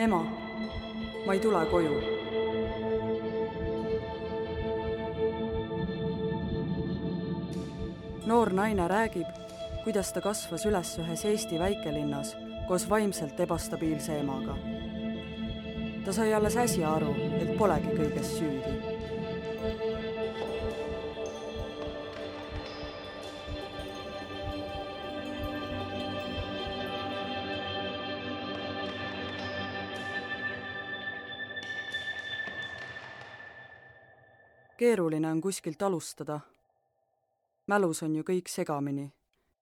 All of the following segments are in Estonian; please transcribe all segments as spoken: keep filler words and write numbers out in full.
Ema, ma ei tule koju. Noor naine räägib, kuidas ta kasvas üles ühes Eesti väikelinnas koos vaimselt ebastabiilse emaga. Ta sai alles äsja aru, et polegi kõiges süüdi. Keeruline on kuskilt alustada. Mälus on ju kõik segamini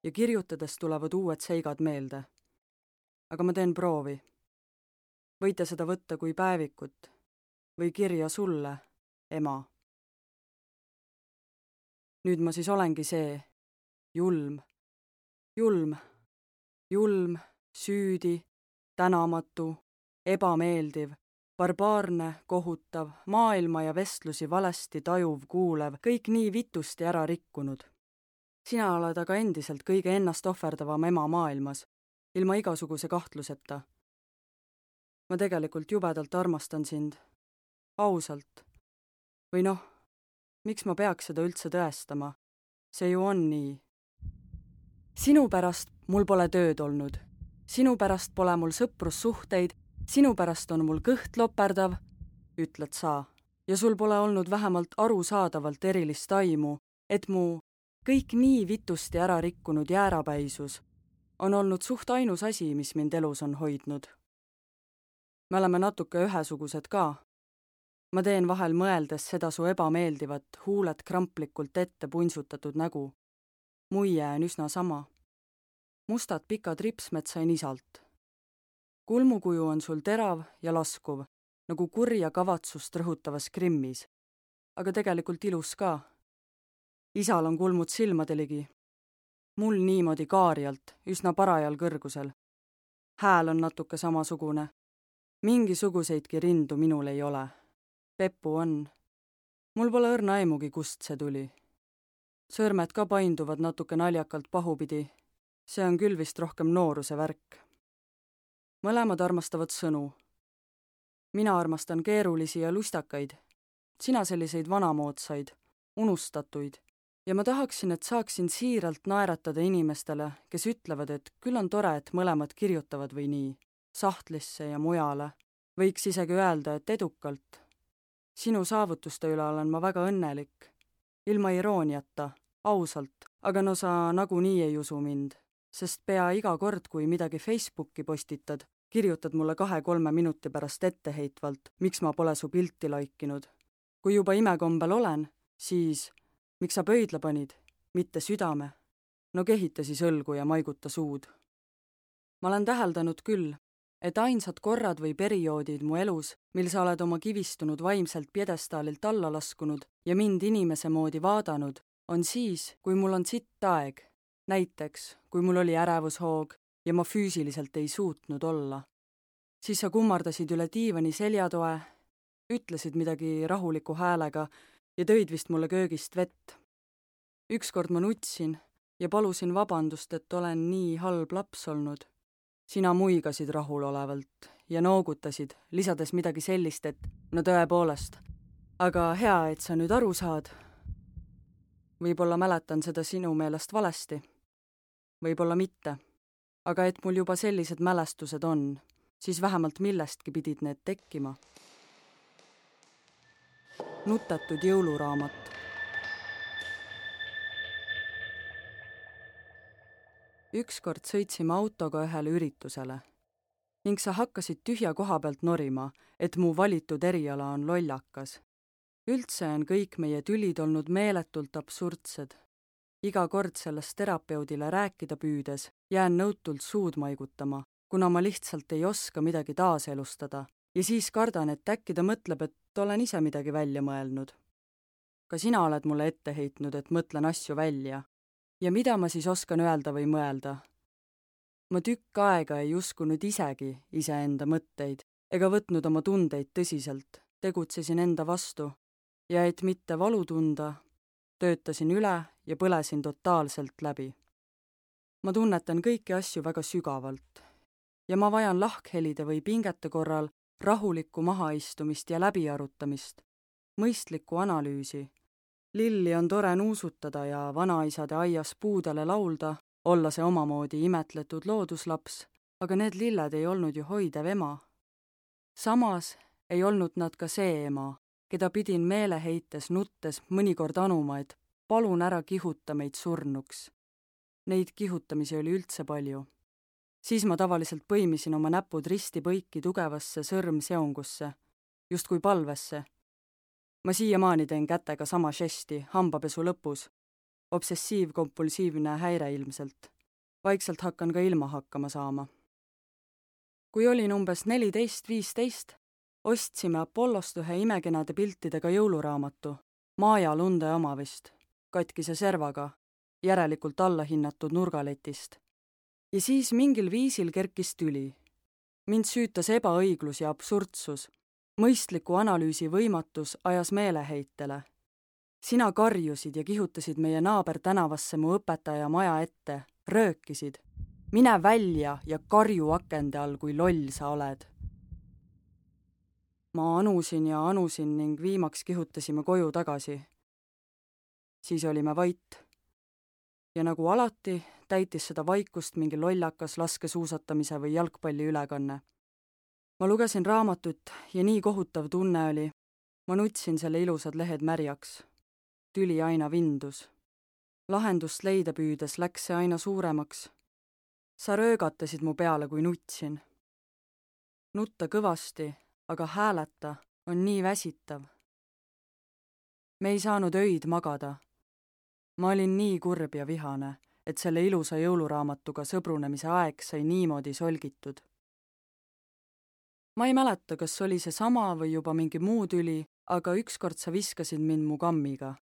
ja kirjutades tulevad uued seigad meelde. Aga ma teen proovi. Võite seda võtta kui päevikut või kirja sulle, ema. Nüüd ma siis olengi see, julm, julm, julm, süüdi, tänamatu, ebameeldiv, barbaarne, kohutav, maailma ja vestlusi valesti tajuv, kuulev, kõik nii vitusti ära rikkunud. Sina oled aga endiselt kõige ennast ohverdavam ema maailmas, ilma igasuguse kahtluseta. Ma tegelikult jubedalt armastan sind. Ausalt. Või noh, miks ma peaks seda üldse tõestama? See ju on nii. Sinu pärast mul pole tööd olnud. Sinu pärast pole mul sõprussuhteid. Sinu pärast on mul kõht loperdav, ütled sa, ja sul pole olnud vähemalt arusaadavalt erilist aimu, et mu kõik nii vitusti ära rikkunud jäärapäisus on olnud suht ainus asi, mis mind elus on hoidnud. Me oleme natuke ühesugused ka. Ma teen vahel mõeldes seda su ebameeldivat, huuled kramplikult ette punsutatud nägu. Muie on üsna sama. Mustad pikad ripsmed sain isalt. Kulmukuju on sul terav ja laskuv, nagu kurja kavatsust rõhutavas krimmis, aga tegelikult ilus ka. Isal on kulmud silmadeligi. Mul niimoodi kaarjalt, üsna parajal kõrgusel. Hääl on natuke samasugune. Mingisuguseidki rindu minul ei ole. Peppu on. Mul pole õrna aimugi, kust see tuli. Sõrmed ka painduvad natuke naljakalt pahupidi. See on küll vist rohkem nooruse värk. Mõlemad armastavad sõnu. Mina armastan keerulisi ja lustakaid. Sina selliseid vanamoodsaid, unustatuid. Ja ma tahaksin, et saaksin siiralt naeratada inimestele, kes ütlevad, et küll on tore, et mõlemad kirjutavad või nii, sahtlisse ja mujale. Võiks isegi öelda, et edukalt. Sinu saavutuste üle olen ma väga õnnelik. Ilma irooniata, ausalt, aga no sa nagunii ei usu mind. Sest pea iga kord, kui midagi Facebooki postitad, kirjutad mulle kahe-kolme minuti pärast etteheitvalt, miks ma pole su pilti laikinud. Kui juba imekombel olen, siis miks sa pöidla panid, mitte südame? No kehita siis õlgu ja maiguta suud. Ma olen täheldanud küll, et ainsad korrad või perioodid mu elus, mil sa oled oma kivistunud vaimselt pjedestaalilt alla laskunud ja mind inimese moodi vaadanud, on siis, kui mul on sitt aeg. Näiteks, kui mul oli ärevushoog ja ma füüsiliselt ei suutnud olla. Siis sa kummardasid üle diivani seljatoe, ütlesid midagi rahuliku häälega ja tõid vist mulle köögist vett. Ükskord ma nutsin ja palusin vabandust, et olen nii halb laps olnud. Sina muigasid rahulolevalt ja noogutasid, lisades midagi sellist, et no tõepoolest, aga hea, et sa nüüd aru saad. Võib-olla mäletan seda sinu meelest valesti. Võib-olla mitte, aga et mul juba sellised mälestused on, siis vähemalt millestki pidid need tekkima. Nutetud jõuluraamat. Ükskord sõitsime autoga ühele üritusele ning sa hakkasid tühja koha pealt norima, et mu valitud eriala on lollakas. Üldse on kõik meie tülid olnud meeletult absurdsed. Iga kord sellest terapeudile rääkida püüdes jään nõutult suud maigutama, kuna ma lihtsalt ei oska midagi taaselustada ja siis kardan, et äkki ta mõtleb, et olen ise midagi välja mõelnud. Ka sina oled mulle ette heitnud, et mõtlen asju välja. Ja mida ma siis oskan öelda või mõelda? Ma tükk aega ei uskunud isegi iseenda mõtteid ega võtnud oma tundeid tõsiselt, tegutsesin enda vastu ja et mitte valu tunda, töötasin üle ja põlesin totaalselt läbi. Ma tunnetan kõiki asju väga sügavalt ja ma vajan lahkhelide või pingete korral rahulikku mahaistumist ja läbiarutamist, mõistlikku analüüsi. Lilli on tore nuusutada ja vanaisade aias puudele laulda, olla see omamoodi imetletud looduslaps, aga need lilled ei olnud ju hoidev ema. Samas ei olnud nad ka see ema, keda pidin meeleheites nuttes mõnikord anuma, et palun ära kihuta meid surnuks. Neid kihutamisi oli üldse palju. Siis ma tavaliselt põimisin oma näpud risti põiki tugevasse sõrmseongusse, justkui palvesse. Ma siiamaani teen kätega sama žesti hambapesu lõpus. Obsessiiv-kompulsiivne häire ilmselt. Vaikselt hakkan ka ilma hakkama saama. Kui olin umbes neliteist viisteist, ostsime Apollost ühe imekenade piltidega jõuluraamatu, Maaja Lunde oma vist, katkise servaga, järelikult allahinnatud nurgaletist. Ja siis mingil viisil kerkis tüli. Mind süütas ebaõiglus ja absurdsus. Mõistliku analüüsi võimatus ajas meeleheitele. Sina karjusid ja kihutasid meie naaber tänavasse mu õpetaja maja ette, röökisid. Mine välja ja karju akende all, kui loll sa oled. Ma anusin ja anusin ning viimaks kihutasime koju tagasi. Siis olime vait. Ja nagu alati, täitis seda vaikust mingi lollakas laskesuusatamise või jalgpalli ülekanne. Ma lugesin raamatut ja nii kohutav tunne oli. Ma nutsin selle ilusad lehed märjaks. Tüli aina vindus. Lahendust leida püüdes läks see aina suuremaks. Sa röögatasid mu peale, kui nutsin. Nutta kõvasti, aga hääleta on nii väsitav. Me ei saanud öid magada. Ma olin nii kurb ja vihane, et selle ilusa jõuluraamatuga sõbrunemise aeg sai niimoodi solgitud. Ma ei mäleta, kas oli see sama või juba mingi muu tüli, aga ükskord sa viskasid mind mu kammiga.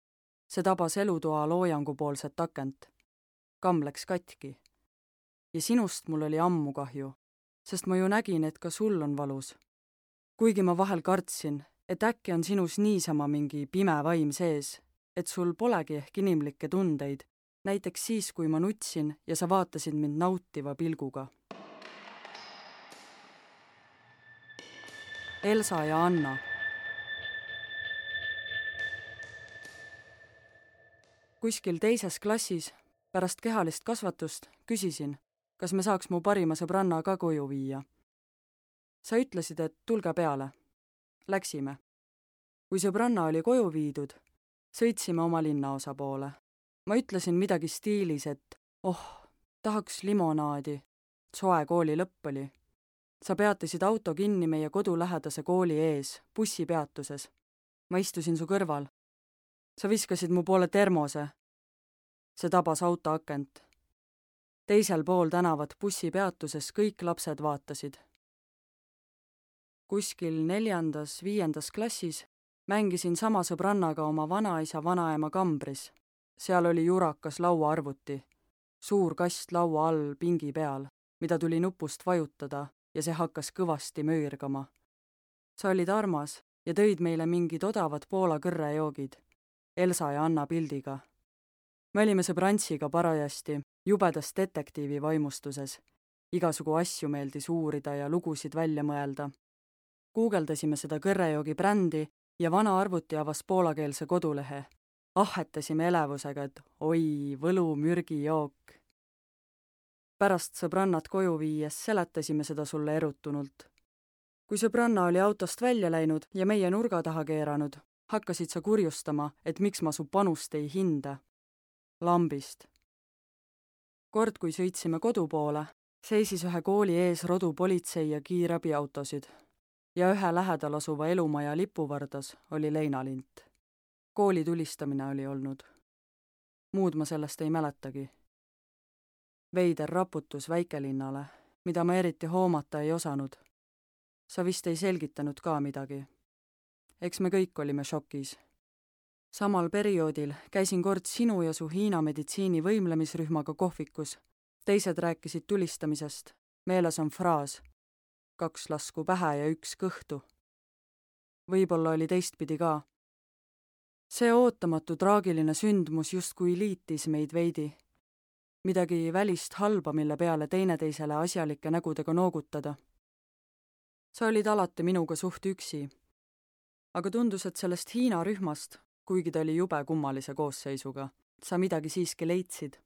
See tabas elutoa loojangu poolset akent. Kamm läks katki. Ja sinust mul oli ammu kahju, sest ma ju nägin, et ka sul on valus. Kuigi ma vahel kartsin, et äkki on sinus niisama mingi pime vaim sees, et sul polegi ehk inimlikke tundeid, näiteks siis, kui ma nutsin ja sa vaatasid mind nautiva pilguga. Elsa ja Anna. Kuskil teises klassis, pärast kehalist kasvatust, küsisin, kas me saaks mu parima sõbranna ka koju viia. Sa ütlesid, et tulge peale. Läksime. Kui sõbranna oli koju viidud, sõitsime oma linnaosa poole. Ma ütlesin midagi stiilis, et oh, tahaks limonaadi. Soe kooli lõpp oli. Sa peatasid auto kinni meie kodulähedase kooli ees, bussipeatuses. Ma istusin su kõrval. Sa viskasid mu poole termose. See tabas auto akent. Teisel pool tänavat bussipeatuses kõik lapsed vaatasid. Kuskil neljandas, viiendas klassis mängisin sama sõbrannaga oma vanaisa vanaema kambris. Seal oli jurakas lauaarvuti, suur kast laua all pingi peal, mida tuli nupust vajutada ja see hakkas kõvasti möörgama. Sa olid armas ja tõid meile mingid odavad Poola kõrrejoogid, Elsa ja Anna pildiga. Me olime sõbrantsiga parajasti jubedas detektiivi vaimustuses. Igasugu asju meeldis uurida ja lugusid välja mõelda. Guugeldasime seda kõrrejoogi brändi ja vana arvuti avas poolakeelse kodulehe. Ahetasime elevusega, et oi, võlu mürgijook. Pärast sõbrannat koju viies seletasime seda sulle erutunult. Kui sõbranna oli autost välja läinud ja meie nurga taha keeranud, hakkasid sa kurjustama, et miks ma su panust ei hinda. Lambist. Kord, kui sõitsime kodu poole, seisis ühe kooli ees rodu politsei ja kiirabiautosid ja ühe lähedal asuva elumaja lipuvardas oli leinalint. Kooli tulistamine oli olnud. Muud ma sellest ei mäletagi. Veider raputus väikelinnale, mida ma eriti hoomata ei osanud. Sa vist ei selgitanud ka midagi. Eks me kõik olime šokis. Samal perioodil käisin kord sinu ja su Hiina meditsiini võimlemisrühmaga kohvikus. Teised rääkisid tulistamisest. Meeles on fraas. Kaks lasku pähe ja üks kõhtu. Võib-olla oli teistpidi ka. See ootamatu traagiline sündmus justkui liitis meid veidi. midagi välist halba, mille peale teineteisele asjalike nägudega noogutada. Sa olid alati minuga suht üksi, aga tundus, et sellest Hiina rühmast, kuigi ta oli jube kummalise koosseisuga, sa midagi siiski leidsid.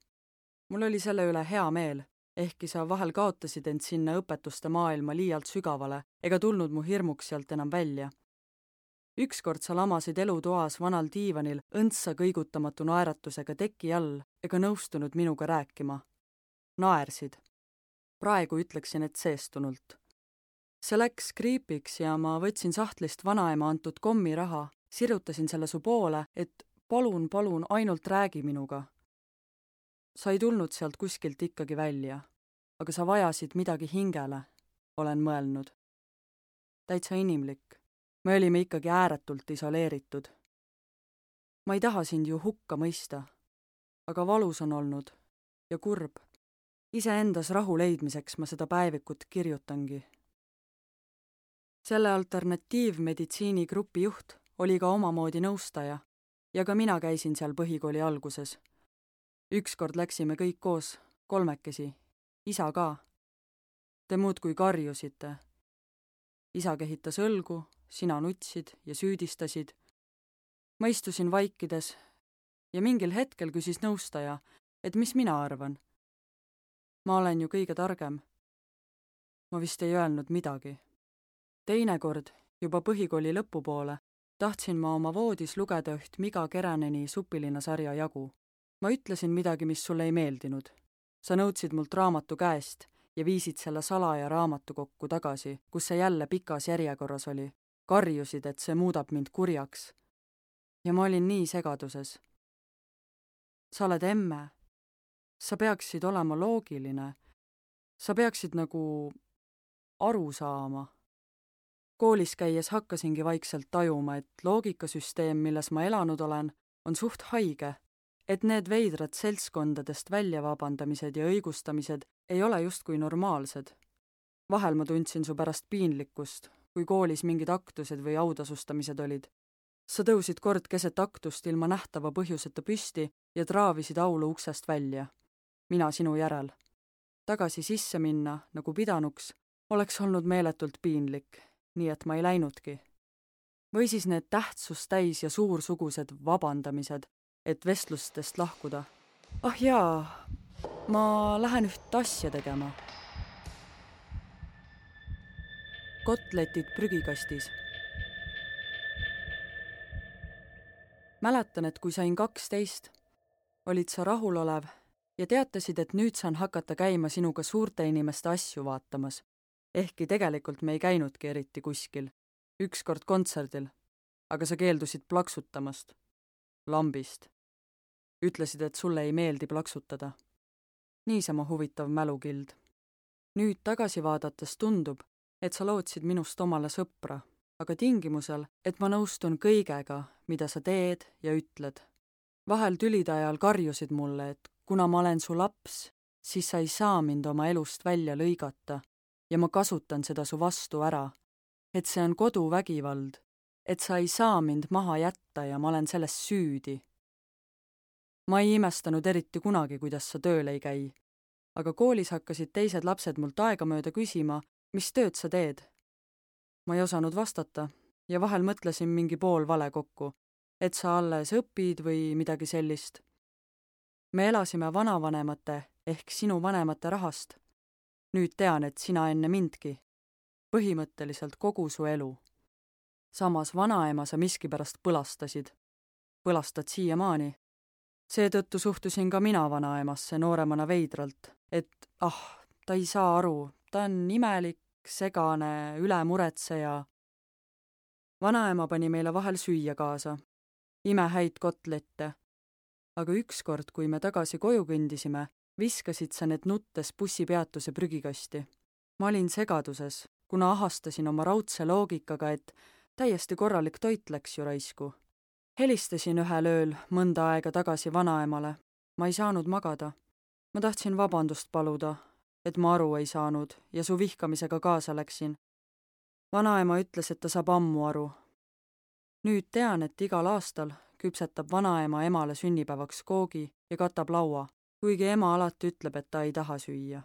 Mul oli selle üle hea meel, ehkki sa vahel kaotasid end sinna õpetuste maailma liialt sügavale ega tulnud mu hirmuks sealt enam välja. Ükskord sa lamasid elutoas vanal diivanil õndsa kõigutamatu naeratusega teki all ega nõustunud minuga rääkima. Naersid. Praegu ütleksin, et seestunult. See läks kriipiks ja ma võtsin sahtlist vanaema antud kommiraha, sirutasin selle su poole, et palun, palun, ainult räägi minuga. Sa ei tulnud sealt kuskilt ikkagi välja, aga sa vajasid midagi hingele, olen mõelnud. Täitsa inimlik. Me olime ikkagi ääretult isoleeritud. Ma ei taha sind ju hukka mõista, aga valus on olnud ja kurb. Iseendas rahu leidmiseks ma seda päevikut kirjutangi. Selle alternatiivmeditsiini grupi juht oli ka omamoodi nõustaja ja ka mina käisin seal põhikooli alguses. Ükskord läksime kõik koos, kolmekesi, isa ka. Te muudkui karjusite. Isa kehitas õlgu, sina nutsid ja süüdistasid. Ma istusin vaikides ja mingil hetkel küsis nõustaja, et mis mina arvan. Ma olen ju kõige targem. Ma vist ei öelnud midagi. Teinekord, juba põhikooli lõpupoole, tahtsin ma oma voodis lugeda üht Miga Keraneni Supilina sarja jagu. Ma ütlesin midagi, mis sulle ei meeldinud. Sa nõudsid mult raamatu käest ja viisid selle salaja raamatu kokku tagasi, kus see jälle pikas järjekorras oli. Karjusid, et see muudab mind kurjaks. Ja ma olin nii segaduses. Sa oled emme. Sa peaksid olema loogiline. Sa peaksid nagu aru saama. Koolis käies hakkasingi vaikselt tajuma, et loogikasüsteem, milles ma elanud olen, on suht haige, et need veidrad seltskondadest välja vabandamised ja õigustamised ei ole justkui normaalsed. Vahel ma tundsin su pärast piinlikkust, kui koolis mingid aktused või autasustamised olid. Sa tõusid kord keset aktust ilma nähtava põhjuseta püsti ja traavisid aulu uksest välja. Mina sinu järel. Tagasi sisse minna, nagu pidanuks, oleks olnud meeletult piinlik, nii et ma ei läinudki. Või siis need tähtsust täis ja suursugused vabandamised, et vestlustest lahkuda. Ah jaa, ma lähen üht asja tegema. Kotletid prügikastis. Mäletan, et kui sain kaksteist, olid sa rahulolev ja teatasid, et nüüd saan hakata käima sinuga suurte inimeste asju vaatamas. Ehkki tegelikult me ei käinudki eriti kuskil. Ükskord kontserdil, aga sa keeldusid plaksutamast. Lambist. Ütlesid, et sulle ei meeldi plaksutada. Niisama huvitav mälukild. Nüüd tagasi vaadates tundub, et sa lootsid minust omale sõpra, aga tingimusel, et ma nõustun kõigega, mida sa teed ja ütled. Vahel tülide ajal karjusid mulle, et kuna ma olen su laps, siis sa ei saa mind oma elust välja lõigata ja ma kasutan seda su vastu ära, et see on koduvägivald, et sa ei saa mind maha jätta ja ma olen selles süüdi. Ma ei imestanud eriti kunagi, kuidas sa tööl ei käi, aga koolis hakkasid teised lapsed mult aegamööda küsima, mis tööd sa teed. Ma ei osanud vastata ja vahel mõtlesin mingi pool vale kokku, et sa alles õpid või midagi sellist. Me elasime vanavanemate ehk sinu vanemate rahast. Nüüd tean, et sina enne mindki. Põhimõtteliselt kogu su elu. Samas vanaema sa miskipärast põlastasid. Põlastad siiamaani. Seetõttu suhtusin ka mina vanaemasse nooremana veidralt, et ah, ta ei saa aru, ta on imelik, segane, ülemuretseja. Vanaema pani meile vahel süüa kaasa. Imehäid kotlette. Aga ükskord, kui me tagasi koju kõndisime, viskasid sa need nuttes bussipeatuse prügikasti. Ma olin segaduses, kuna ahastasin oma raudse loogikaga, et täiesti korralik toit läks ju raisku. Helistasin ühel ööl mõnda aega tagasi vanaemale. Ma ei saanud magada. Ma tahtsin vabandust paluda, et ma aru ei saanud ja su vihkamisega kaasa läksin. Vanaema ütles, et ta saab ammu aru. Nüüd tean, et igal aastal küpsetab vanaema emale sünnipäevaks koogi ja katab laua. kuigi ema alati ütleb, et ta ei taha süüa.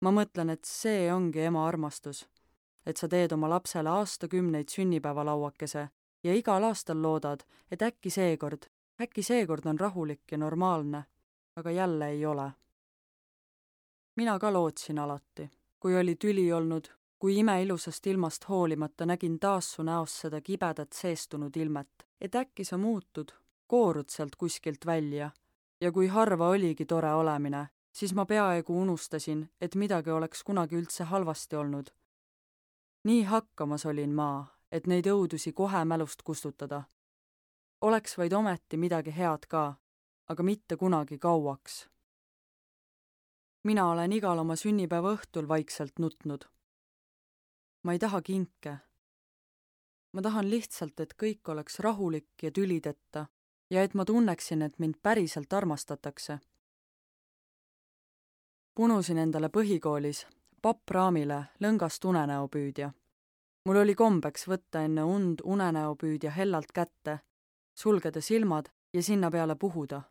Ma mõtlen, et see ongi ema armastus, et sa teed oma lapsele aastakümneid sünnipäevalauakese ja igal aastal loodad, et äkki seekord, äkki seekord on rahulik ja normaalne, aga jälle ei ole. Mina ka lootsin alati, kui oli tüli olnud, kui imeilusast ilmast hoolimata nägin taas su näost seda kibedat seestunud ilmet, et äkki sa muutud, koorud sealt kuskilt välja ja kui harva oligi tore olemine, siis ma peaaegu unustasin, et midagi oleks kunagi üldse halvasti olnud. Nii hakkamas olin ma, et neid õudusi kohe mälust kustutada. Oleks vaid ometi midagi head ka, aga mitte kunagi kauaks. Mina olen igal oma sünnipäeva õhtul vaikselt nutnud. Ma ei taha kinke. Ma tahan lihtsalt, et kõik oleks rahulik ja tülideta ja et ma tunneksin, et mind päriselt armastatakse. Punusin endale põhikoolis pappraamile lõngast unenäopüüdja. Mul oli kombeks võtta enne und unenäopüüdja hellalt kätte, sulgeda silmad ja sinna peale puhuda.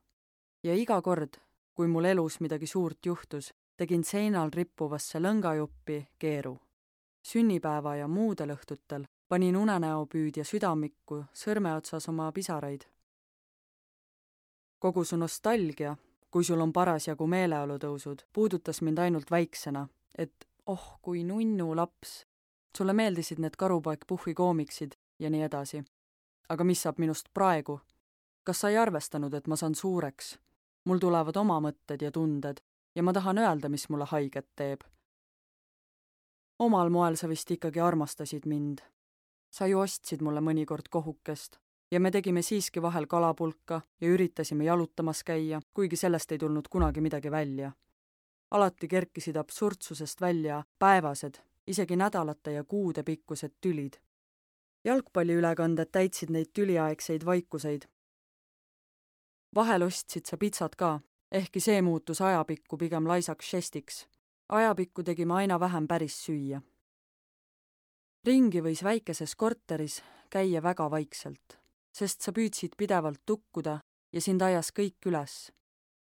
Ja iga kord, kui mul elus midagi suurt juhtus, tegin seinal rippuvasse lõngajuppi keeru. Sünnipäeva ja muudel õhtutel panin unenäopüüdja südamikku sõrmeotsas oma pisaraid. Kogu su nostalgia, kui sul on parasjagu meeleolutõusud, puudutas mind ainult väiksena, et oh, kui nunnu laps. Sulle meeldisid need Karupoeg Puhhi koomiksid ja nii edasi. Aga mis saab minust praegu? Kas sa ei arvestanud, et ma saan suureks? Mul tulevad oma mõtted ja tunded ja ma tahan öelda, mis mulle haiget teeb. Omal moel sa vist ikkagi armastasid mind. Sa ju ostsid mulle mõnikord kohukest ja me tegime siiski vahel kalapulka ja üritasime jalutamas käia, kuigi sellest ei tulnud kunagi midagi välja. Alati kerkisid absurdsusest välja päevased, isegi nädalate ja kuude pikkused tülid. Jalgpalliülekanded täitsid neid tüliaegseid vaikuseid. Vahel ostsid sa pitsat ka, ehkki see muutus ajapikku pigem laisaks žestiks. Ajapikku tegime aina vähem päris süüa. Ringi võis väikeses korteris käia väga vaikselt, sest sa püüdsid pidevalt tukkuda ja sind ajas kõik üles.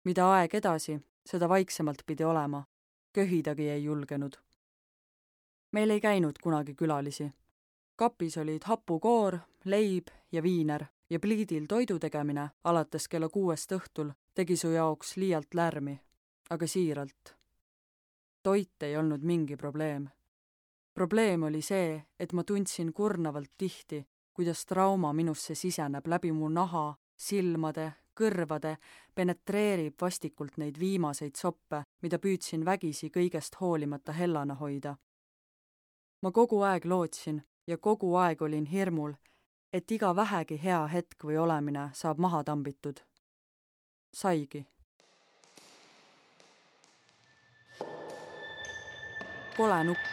Mida aeg edasi, seda vaiksemalt pidi olema. Köhidagi ei julgenud. Meil ei käinud kunagi külalisi. Kapis olid hapukoor, leib ja viiner ja pliidil toidu tegemine alates kella kuuest õhtul tegi su jaoks liialt lärmi, aga siiralt. Toit ei olnud mingi probleem. Probleem oli see, et ma tundsin kurnavalt tihti, kuidas trauma minusse siseneb läbi mu naha, silmade, kõrvade, penetreerib vastikult neid viimaseid soppe, mida püüdsin vägisi kõigest hoolimata hellana hoida. Ma kogu aeg lootsin ja kogu aeg olin hirmul, et iga vähegi hea hetk või olemine saab maha tambitud. Saigi. Kole nukk.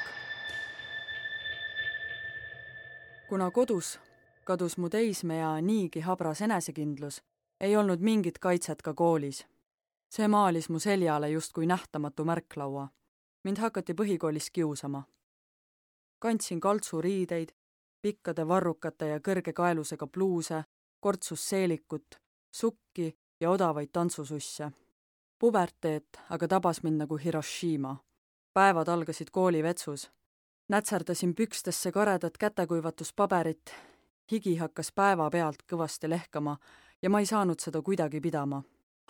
Kuna kodus kadus mu teismea niigi habras enesekindlus, ei olnud mingit kaitset ka koolis. See maalis mu seljale justkui nähtamatu märklaua. Mind hakati põhikoolis kiusama. Kandsin kaltsuriideid, pikkade varrukate ja kõrge kaelusega pluuse, kortsus seelikut, sukki ja odavaid tantsususse. Puberteet aga tabas mind nagu Hiroshima. Päevad algasid koolivetsus. Nätserdasin pükstesse karedat kätekuivatuspaberit. Higi hakkas päeva pealt kõvasti lehkama ja ma ei saanud seda kuidagi pidama.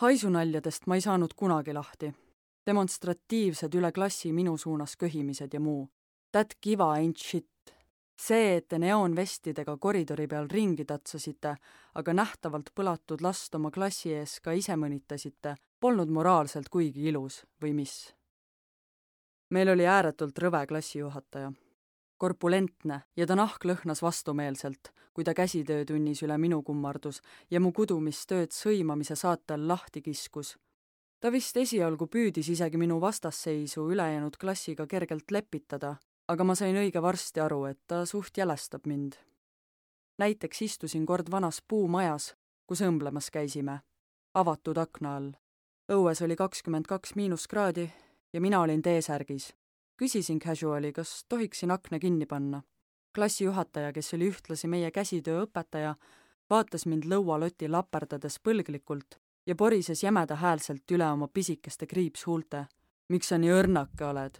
Haisunaljadest ma ei saanud kunagi lahti. Demonstratiivsed üle klassi minu suunas köhimised ja muu. That kiva ain't shit. See, et te neoonvestidega koridori peal ringi tatsasite, aga nähtavalt põlatud last oma klassi ees ka ise mõnitasite, polnud moraalselt kuigi ilus või mis. Meil oli ääretult rõve klassijuhataja. Korpulentne ja ta nahk lõhnas vastumeelselt, kui ta käsitöötunnis üle minu kummardus ja mu kudumistööd sõimamise saatel lahti kiskus. Ta vist esialgu püüdis isegi minu vastasseisu ülejäänud klassiga kergelt lepitada, aga ma sain õige varsti aru, et ta suht jälestab mind. Näiteks istusin kord vanas puumajas, kus õmblemas käisime, avatud akna all. Õues oli kakskümmend kaks miinuskraadi ja mina olin T-särgis. Küsisin casuali, kas tohiksin akna kinni panna. Klassijuhataja, kes oli ühtlasi meie käsitöö õpetaja, vaatas mind lõualoti laperdades põlglikult ja porises jämeda häälselt üle oma pisikeste kriipshuulte. Miks sa nii õrnake oled?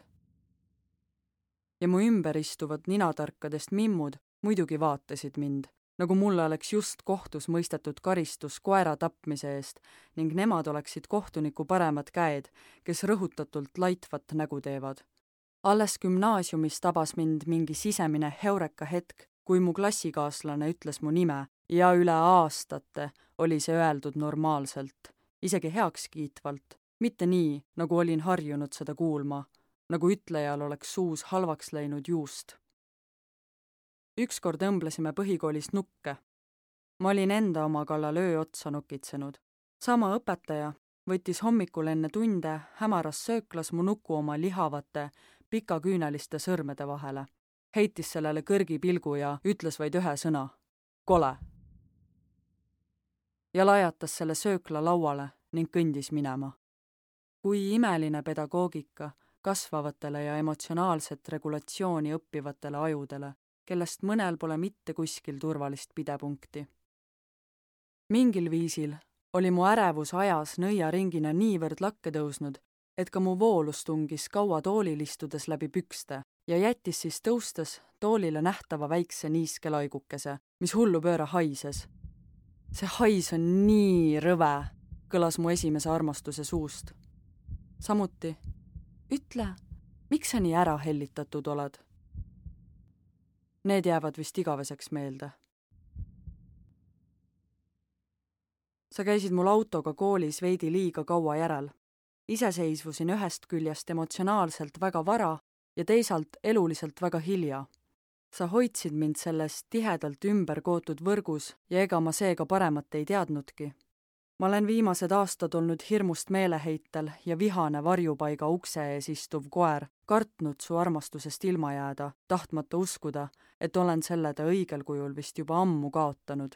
Ja mu ümber istuvad ninatarkadest mimmud muidugi vaatasid mind, nagu mulle oleks just kohtus mõistetud karistus koera tapmise eest ning nemad oleksid kohtuniku paremad käed, kes rõhutatult laitvat nägu teevad. Alles gümnaasiumis tabas mind mingi sisemine heureka hetk, kui mu klassikaaslane ütles mu nime ja üle aastate oli see öeldud normaalselt, isegi heakskiitvalt, mitte nii, nagu olin harjunud seda kuulma, nagu ütlejal oleks suus halvaks läinud juust. Ükskord õmblesime põhikoolis nukke. Ma olin enda oma kallal öö otsa nokitsenud. Sama õpetaja võttis hommikul enne tunde hämaras sööklas mu nuku oma lihavate, pikaküüneliste sõrmede vahele. Heitis sellele kõrgi pilgu ja ütles vaid ühe sõna. Kole! Ja lajatas selle söökla lauale ning kõndis minema. Kui imeline pedagoogika kasvavatele ja emotsionaalset regulatsiooni õppivatele ajudele, kellest mõnel pole mitte kuskil turvalist pidepunkti. Mingil viisil oli mu ärevus ajas nõiaringina niivõrd lakke tõusnud, et ka mu voolus tungis kaua toolil istudes läbi pükste ja jättis siis tõustes toolile nähtava väikse niiske laigukese, mis hullu pööra haises. See hais on nii rõve, kõlas mu esimese armastuse suust. Samuti, ütle, miks sa nii ära hellitatud oled? Need jäävad vist igaveseks meelde. Sa käisid mul autoga koolis veidi liiga kaua järel. Iseseisvusin ühest küljest emotsionaalselt väga vara ja teisalt eluliselt väga hilja. Sa hoidsid mind selles tihedalt ümber kootud võrgus ja ega ma seega paremat ei teadnudki. Ma olen viimased aastad olnud hirmust meeleheitel ja vihane varjupaiga ukse ees istuv koer, kartnud su armastusest ilma jääda, tahtmata uskuda, et olen selle ta õigel kujul vist juba ammu kaotanud.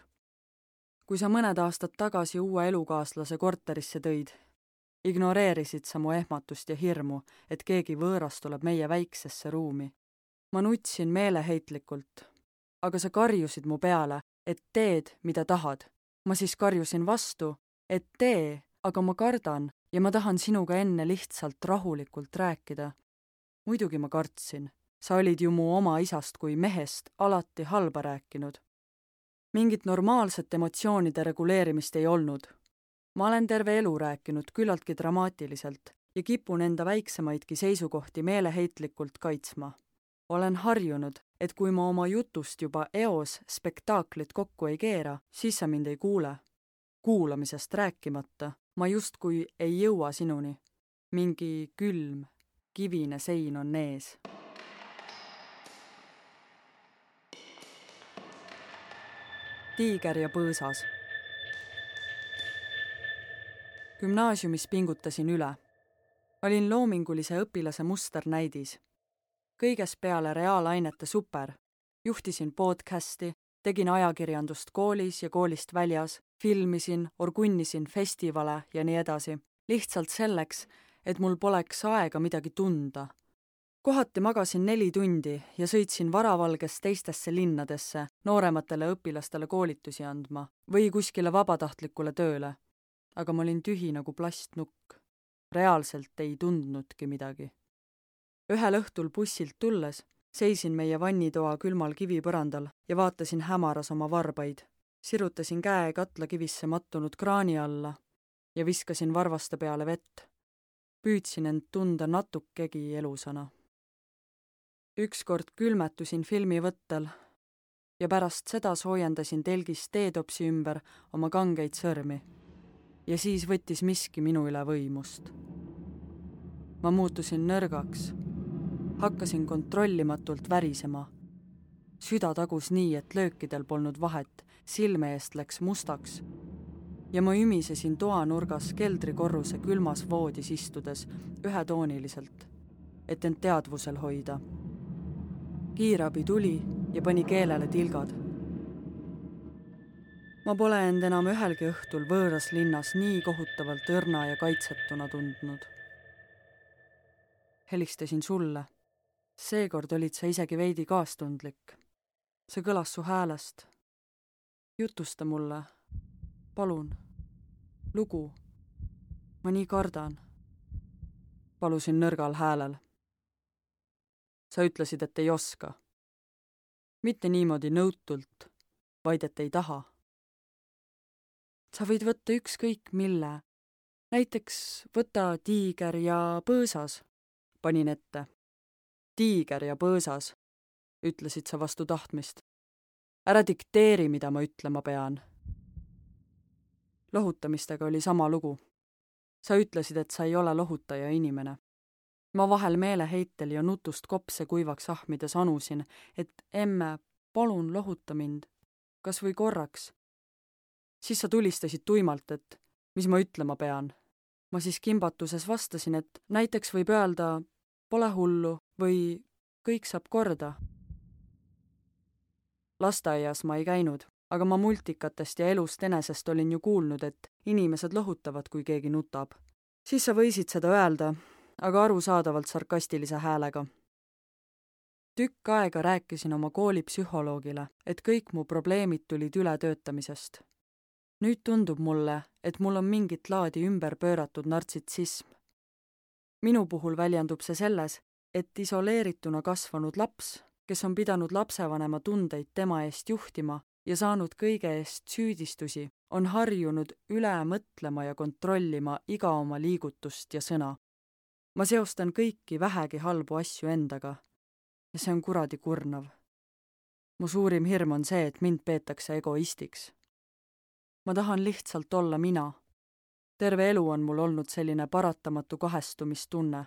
Kui sa mõned aastad tagasi uue elukaaslase korterisse tõid, ignoreerisid sa mu ehmatust ja hirmu, et keegi võõras tuleb meie väiksesse ruumi. Ma nutsin meeleheitlikult, aga sa karjusid mu peale, et teed, mida tahad. Ma siis karjusin vastu, et tee, aga ma kardan ja ma tahan sinuga enne lihtsalt rahulikult rääkida. Muidugi ma kartsin. Sa olid ju mu oma isast kui mehest alati halba rääkinud. Mingit normaalset emotsioonide reguleerimist ei olnud. Ma olen terve elu rääkinud küllaltki dramaatiliselt ja kipun enda väiksemaidki seisukohti meeleheitlikult kaitsma. Olen harjunud, et kui ma oma jutust juba eos spektaaklit kokku ei keera, siis sa mind ei kuule. Kuulamisest rääkimata, ma justkui ei jõua sinuni. Mingi külm, kivine sein on ees. Tiiger ja põõsas. Gümnaasiumis pingutasin üle. Olin loomingulise õpilase musternäidis. Kõiges peale reaalainete super. Juhtisin podcasti, tegin ajakirjandust koolis ja koolist väljas, filmisin, orgunnisin festivale ja nii edasi. Lihtsalt selleks, et mul poleks aega midagi tunda. Kohati magasin neli tundi ja sõitsin varavalges teistesse linnadesse noorematele õpilastele koolitusi andma või kuskile vabatahtlikule tööle. Aga ma olin tühi nagu plastnukk. Reaalselt ei tundnudki midagi. Ühel õhtul bussilt tulles seisin meie vannitoa külmal kivipõrandal ja vaatasin hämaras oma varbaid. Sirutasin käe katlakivisse mattunud kraani alla ja viskasin varvaste peale vett. Püüdsin end tunda natukegi elusana. Ükskord külmetusin filmi võttel ja pärast seda soojendasin telgis teetopsi ümber oma kangeid sõrmi. Ja siis võttis miski minu üle võimust. Ma muutusin nõrgaks. Hakkasin kontrollimatult värisema. Süda tagus nii, et löökidel polnud vahet, silme eest läks mustaks. Ja ma ümisesin toanurgas keldrikorruse külmas voodis istudes ühetooniliselt, et end teadvusel hoida. Kiirabi tuli ja pani keelele tilgad. Ma pole end enam ühelgi õhtul võõras linnas nii kohutavalt õrna ja kaitsetuna tundnud. Helistasin sulle. Seekord olid sa isegi veidi kaastundlik. See kõlas su häälest. Jutusta mulle. Palun. lugu. Ma nii kardan. Palusin nõrgal häälel. Sa ütlesid, et ei oska. Mitte niimoodi nõutult, vaid et ei taha. Sa võid võtta ükskõik mille. Näiteks võta tiiger ja põõsas, panin ette. Tiiger ja põõsas, ütlesid sa vastu tahtmist. Ära dikteeri, mida ma ütlema pean. Lohutamistega oli sama lugu. Sa ütlesid, et sa ei ole lohutaja inimene. Ma vahel meeleheitel ja nutust kopse kuivaks ahmides anusin, et emme, palun lohuta mind, kas või korraks. Siis sa tulistasid tuimalt, et mis ma ütlema pean. Ma siis kimbatuses vastasin, et näiteks võib öelda, pole hullu või kõik saab korda. Lasteaias ma ei käinud, aga ma multikatest ja elust enesest olin ju kuulnud, et inimesed lohutavad, kui keegi nutab. Siis sa võisid seda öelda, aga arusaadavalt sarkastilise häälega. Tükk aega rääkisin oma koolipsühholoogile, et kõik mu probleemid tulid ületöötamisest. Nüüd tundub mulle, et mul on mingit laadi ümber pööratud nartsitsism. Minu puhul väljendub see selles, et isoleerituna kasvanud laps, kes on pidanud lapsevanema tundeid tema eest juhtima ja saanud kõige eest süüdistusi, on harjunud üle mõtlema ja kontrollima iga oma liigutust ja sõna. Ma seostan kõiki vähegi halbu asju endaga ja see on kuradi kurnav. Mu suurim hirm on see, et mind peetakse egoistiks. Ma tahan lihtsalt olla mina. Terve elu on mul olnud selline paratamatu kahestumistunne.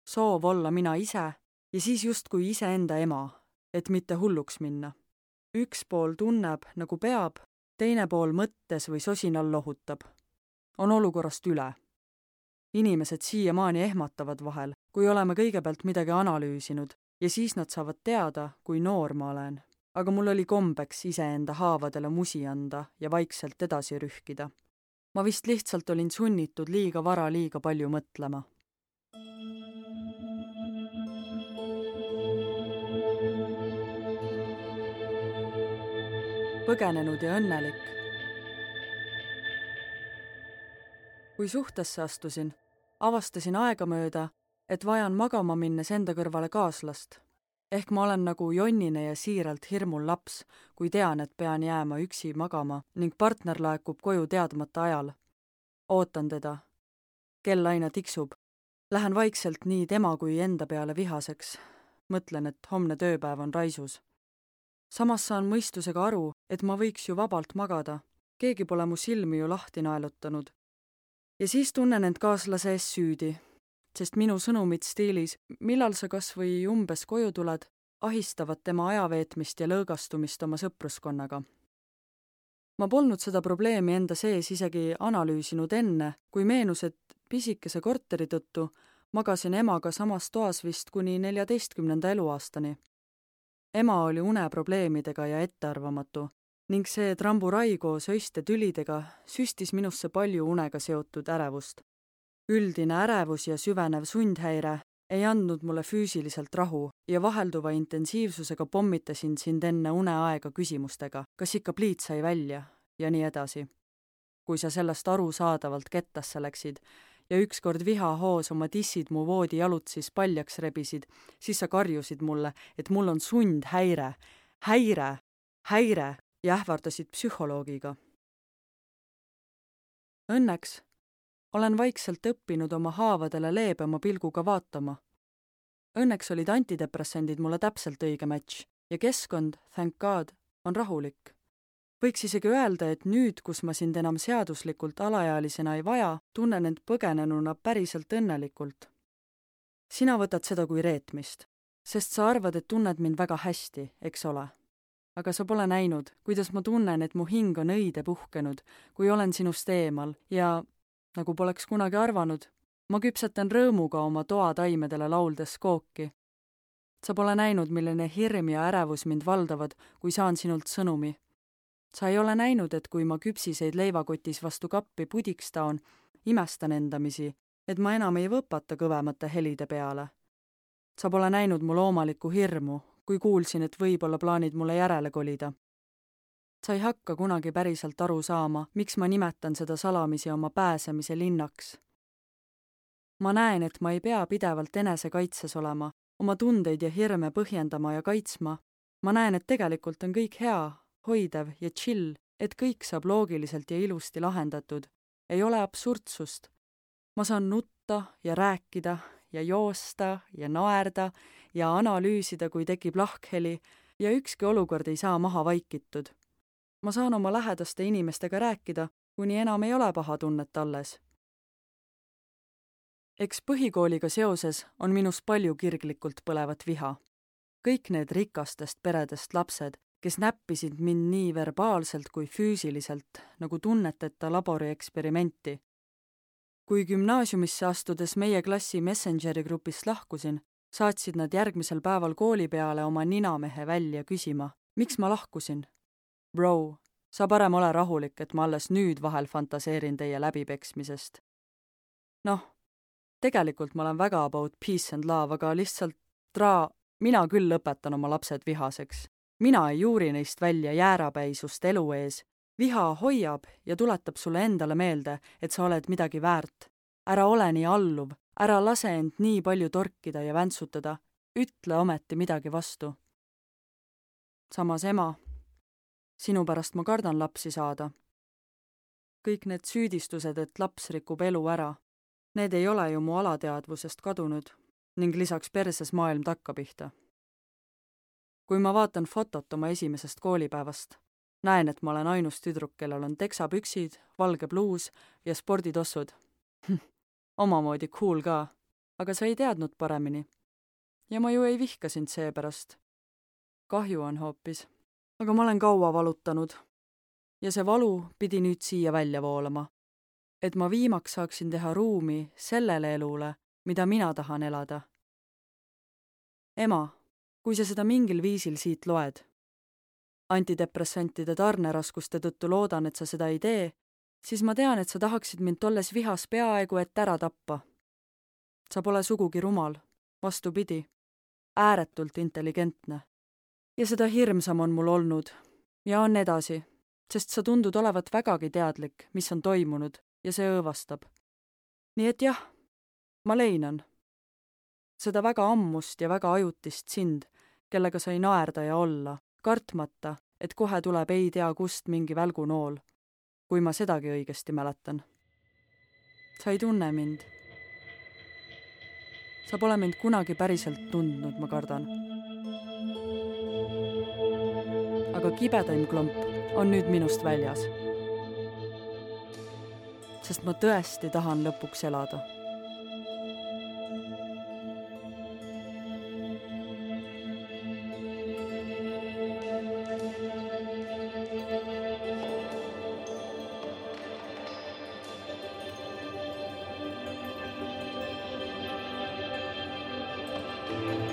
Soov olla mina ise ja siis justkui iseenda ema, et mitte hulluks minna. Üks pool tunneb, nagu peab, teine pool mõttes või sosinal lohutab. On olukorrast üle. Inimesed siiamaani ehmatavad vahel, kui oleme kõigepealt midagi analüüsinud ja siis nad saavad teada, kui noor ma olen. Aga mul oli kombeks iseenda haavadele musi anda ja vaikselt edasi rühkida. Ma vist lihtsalt olin sunnitud liiga vara liiga palju mõtlema. Põgenenud ja õnnelik. Kui suhtesse astusin, avastasin aegamööda, et vajan magama minnes enda kõrvale kaaslast. Ehk ma olen nagu jonnine ja siiralt hirmul laps, kui tean, et pean jääma üksi magama ning partner laekub koju teadmata ajal. Ootan teda. Kell aina tiksub. Lähen vaikselt nii tema kui enda peale vihaseks. Mõtlen, et homne tööpäev on raisus. Samas saan mõistusega aru, et ma võiks ju vabalt magada. Keegi pole mu silmi ju lahti naelutanud. Ja siis tunnen end kaaslase ees süüdi. Sest minu sõnumid stiilis, millal sa kas või umbes koju tuled, ahistavad tema ajaveetmist ja lõõgastumist oma sõpruskonnaga. Ma polnud seda probleemi enda sees isegi analüüsinud enne, kui meenus, et pisikese korteri tõttu magasin emaga samas toas vist kuni neljateistkümnenda eluaastani. Ema oli uneprobleemidega ja ettearvamatu ning see tramburai koos öiste tülidega süstis minusse palju unega seotud ärevust. Üldine ärevus ja süvenev sundhäire ei andnud mulle füüsiliselt rahu ja vahelduva intensiivsusega pommitasin sind enne uneaega küsimustega, kas ikka pliit sai välja ja nii edasi. Kui sa sellest arusaadavalt kettasse läksid ja ükskord vihahoos oma dissid mu voodi jalutsis paljaks rebisid, siis sa karjusid mulle, et mul on sundhäire, häire, häire ja ähvardasid psühholoogiga. Õnneks olen vaikselt õppinud oma haavadele leebema pilguga vaatama. Õnneks olid antidepressendid mulle täpselt õige match ja keskkond, thank God, on rahulik. Võiks isegi öelda, et nüüd, kus ma sind enam seaduslikult alaealisena ei vaja, tunnen end põgenenuna päriselt õnnelikult. Sina võtad seda kui reetmist, sest sa arvad, et tunned mind väga hästi, eks ole. Aga sa pole näinud, kuidas ma tunnen, et mu hing on õide puhkenud, kui olen sinust eemal ja nagu poleks kunagi arvanud, ma küpsetan rõõmuga oma toataimedele lauldes kooki. Sa pole näinud, milline hirm ja ärevus mind valdavad, kui saan sinult sõnumi. Sa ei ole näinud, et kui ma küpsiseid leivakotis vastu kappi pudiks taon, imestan endamisi, et ma enam ei võpata kõvemate helide peale. Sa pole näinud mu loomalikku hirmu, kui kuulsin, et võib-olla plaanid mulle järele kolida. Sa ei hakka kunagi päriselt aru saama, miks ma nimetan seda salamisi oma pääsemise linnaks. Ma näen, et ma ei pea pidevalt enesekaitses olema, oma tundeid ja hirme põhjendama ja kaitsma. Ma näen, et tegelikult on kõik hea, hoidev ja chill, et kõik saab loogiliselt ja ilusti lahendatud. Ei ole absurdsust. Ma saan nutta ja rääkida ja joosta ja naerda ja analüüsida, kui tekib lahkheli ja ükski olukord ei saa maha vaikitud. Ma saan oma lähedaste inimestega rääkida, kuni enam ei ole paha tunnet alles. Eks põhikooliga seoses on minus palju kirglikult põlevat viha. Kõik need rikastest peredest lapsed, kes näppisid mind nii verbaalselt kui füüsiliselt, nagu tunneteta labori eksperimenti. Kui gümnaasiumisse astudes meie klassi Messengeri grupist lahkusin, saatsid nad järgmisel päeval kooli peale oma ninamehe välja küsima, miks ma lahkusin. Bro, sa parem ole rahulik, et ma alles nüüd vahel fantaseerin teie läbipeksmisest. Noh, tegelikult ma olen väga about peace and love, aga lihtsalt traa, mina küll lõpetan oma lapsed vihaseks. Mina ei juuri neist välja jäärapäisust elu ees. Viha hoiab ja tuletab sulle endale meelde, et sa oled midagi väärt. Ära ole nii alluv, ära lase end nii palju torkida ja väntsutada. Ütle ometi midagi vastu. Samas ema, sinu pärast ma kardan lapsi saada. Kõik need süüdistused, et laps rikub elu ära, need ei ole ju mu alateadvusest kadunud ning lisaks perses maailm takkapihta. Kui ma vaatan fotot oma esimesest koolipäevast, näen, et ma olen ainus tüdruk, kellel on teksapüksid, valge bluus ja sporditossud. Omamoodi cool ka, aga sa ei teadnud paremini. Ja ma ju ei vihka sind seepärast. Kahju on hoopis, aga ma olen kaua valutanud. Ja see valu pidi nüüd siia välja voolama, et ma viimaks saaksin teha ruumi sellele elule, mida mina tahan elada. Ema, kui sa seda mingil viisil siit loed, antidepressantide tarneraskuste tõttu loodan, et sa seda ei tee, siis ma tean, et sa tahaksid mind tolles vihas peaaegu et ära tappa. Sa pole sugugi rumal, vastupidi, ääretult intelligentne. Ja seda hirmsam on mul olnud ja on edasi, sest sa tundud olevat vägagi teadlik, mis on toimunud ja see õõvastab. Nii et jah, ma leinan. Seda väga ammust ja väga ajutist sind, kellega sai naerda ja olla, kartmata, et kohe tuleb ei tea kust mingi välgunool, kui ma sedagi õigesti mäletan. Sa ei tunne mind. Sa pole mind kunagi päriselt tundnud, ma kardan. Aga kibedaim klomp on nüüd minust väljas. Sest ma tõesti tahan lõpuks elada. Thank you.